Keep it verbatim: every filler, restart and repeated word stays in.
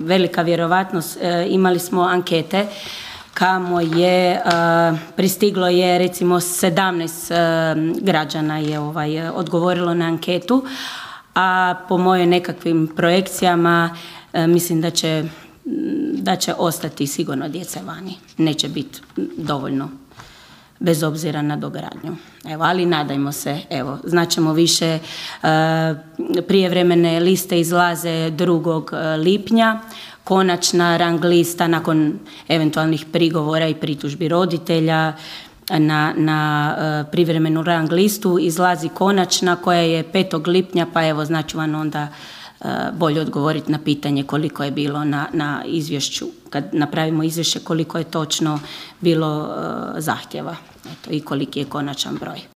velika vjerovatnost, imali smo ankete kamo je pristiglo je recimo sedamnaest građana je ovaj, odgovorilo na anketu, a po mojoj nekakvim projekcijama mislim da će, da će ostati sigurno djece vani. Neće biti dovoljno, bez obzira na dogradnju. Evo, ali nadajmo se, evo, znaćemo više, prijevremene liste izlaze drugog lipnja, konačna rang lista nakon eventualnih prigovora i pritužbi roditelja na, na privremenu rang listu izlazi konačna koja je petog lipnja, pa evo znači vam onda bolje odgovoriti na pitanje koliko je bilo na, na izvješću, kad napravimo izvješće koliko je točno bilo zahtjeva, eto, i koliki je konačan broj.